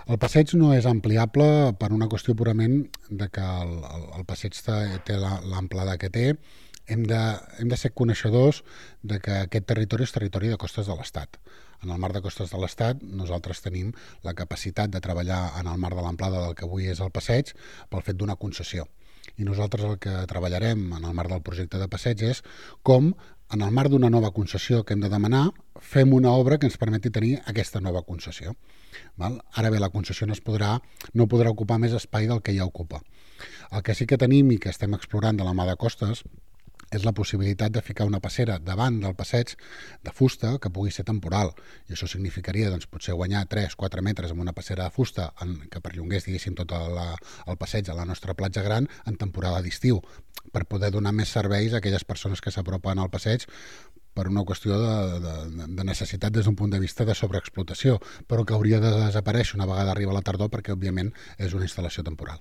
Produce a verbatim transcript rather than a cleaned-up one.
El passeig no és ampliable per una qüestió purament de que el, el, el passeig té, té l'amplada que té. Hem de, hem de ser coneixedors de que aquest territori és territori de costes de l'Estat. En el marc de costes de l'Estat nosaltres tenim la capacitat de treballar en el marc de l'amplada del que avui és el passeig pel fet d'una concessió. I nosaltres el que treballarem en el marc del projecte de passeig és com, en el marc d'una nova concessió que hem de demanar, fem una obra que ens permeti tenir aquesta nova concessió. Val? Ara bé, la concessió no, es podrà, no podrà ocupar més espai del que ja ocupa. El que sí que tenim i que estem explorant de la mà de Costes és la possibilitat de ficar una passera davant del passeig de fusta que pugui ser temporal. I això significaria doncs, potser guanyar tres o quatre metres amb una passera de fusta en, que perllongués diguéssim, tot la, el passeig a la nostra platja gran en temporada d'estiu, per poder donar més serveis a aquelles persones que s'apropen al passeig per una qüestió de, de, de necessitat des d'un punt de vista de sobreexplotació, però que hauria de desaparèixer una vegada arriba la tardor perquè, òbviament, és una instal·lació temporal.